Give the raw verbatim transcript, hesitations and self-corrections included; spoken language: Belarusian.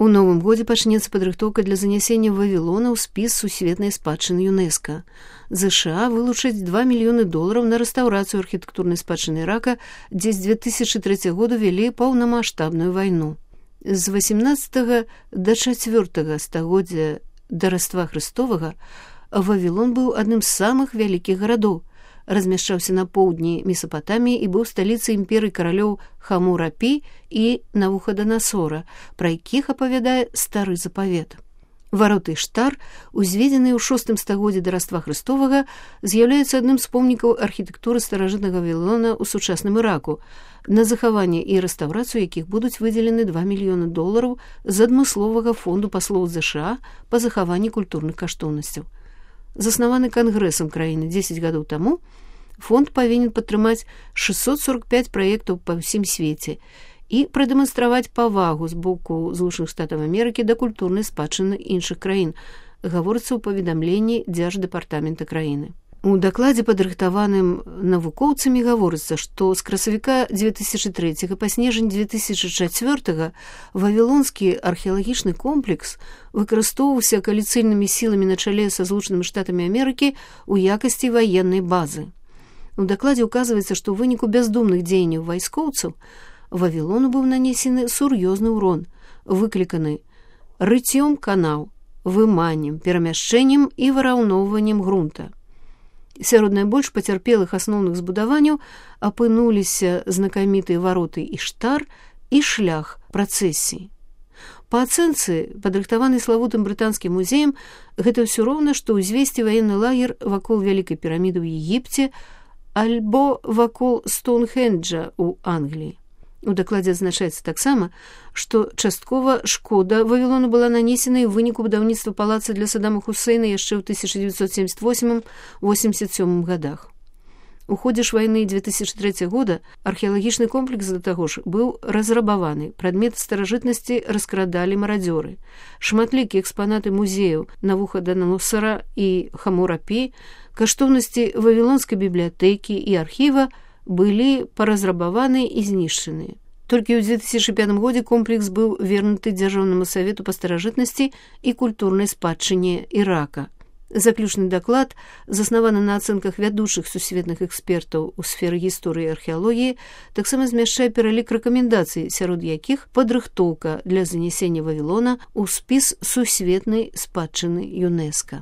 У новым годзе пачнецца падрыхтоўка для занясення Вавілона ў спіс сусветнай спадчыны ЮНЕСКО. ЗША вылучаць два мільёны долараў на рэстаўрацыю архітэктурнай спадчыны Ірака, дзе з дзве тысячы трэцяга году вялі паўнамаштабную вайну. З васямнаццатага да чацвёртага стагоддзя да Раства Хрыстовага Вавілон быў адным з самых вялікіх гарадоў, размяшчаўся на поўдні Месапатаміі і быў сталіцай імперыі каралёў Хамурапі і Навуходанасора, пра якіх апавядае стары запавет. Вароты Іштар, узведзеныя ў шостым стагоддзі да Раства Хрыстовага, з'яўляюцца адным з помнікаў архітэктуры старажытнага Вавілона ў сучасным Іраку, на захаванне і рэстаўрацыю якіх будуць выдзелены два мільёны долараў з адмысловага фонду паслоў ЗША па захаванні культурных каштоўнасцяў. Заснаваны кангрэсам краіны дзесяць гадоў таму, фонд павінен падтрымаць шэсцьсот сорак пяць праектаў па ўсім свеце і прадэманстраваць павагу з боку Злучаных Штатаў Амерыкі да культурнай спадчыны іншых краін, гаворыцца ў паведамленні дзярждэпартамента краіны. У дакладзе, падрыхтаваным навукоўцамі, гаворыцца, што з красавіка дзве тысячы трэцяга па снежань дзве тысячы чацвёртага вавілонскі археалагічны комплекс выкарыстоўваўся кааліцыйнымі сіламі на чале са Злучанымі Штатамі Амерыкі ў якасці ваеннай базы. У дакладзе ўказваецца, што ў выніку бяздумных дзеянняў вайскоўцаў Вавілону быў нанесены сур'ёзны ўрон, выкліканы рыццём канаў, выманнем, перамяшчэннем і выраўноўваннем грунта. Сярод найбольш пацярпелых асноўных збудаванняў апынуліся знакамітыя вароты Іштар і шлях працэсіі. Па ацэнцы, падрыхтаваны славутым брытанскім музеем, гэта ўсё роўна, што ўзвесці ваенны лагер вакол Вялікай піраміды ў Егіпце альбо вакол Стоунхенджа ў Англіі. У дакладзе адзначаецца таксама, што часткова шкода Вавілону была нанесена і ў выніку будаўніцтва палаца для Саддама Хусейна яшчэ ў тысяча дзевяцьсот семьдесят восьмым — восемьдесят сёмым годах. У ходзе ж вайны дзве тысячы трэцяга года археалагічны комплекс, да таго ж, быў разрабаваны, прадметы старажытнасці раскрадалі марадзёры. Шматлікія экспанаты музеяў Навуходаносара і Хамурапі, каштоўнасці Вавілонскай бібліятэкі і архіва былі паразрабаваны і знішчаны. Толькі ў дзве тысячы пятым годзе комплекс быў вернуты Дзяржаўнаму савету па старажытнасці і культурнай спадчыне Ірака. Заключны даклад, заснаваны на ацэнках вядучых сусветных экспертаў у сферы гісторыі і археалогіі, таксама змяшчае пералік рэкамендацый, сярод якіх падрыхтоўка для занясення Вавілона ў спіс сусветнай спадчыны ЮНЕСКО.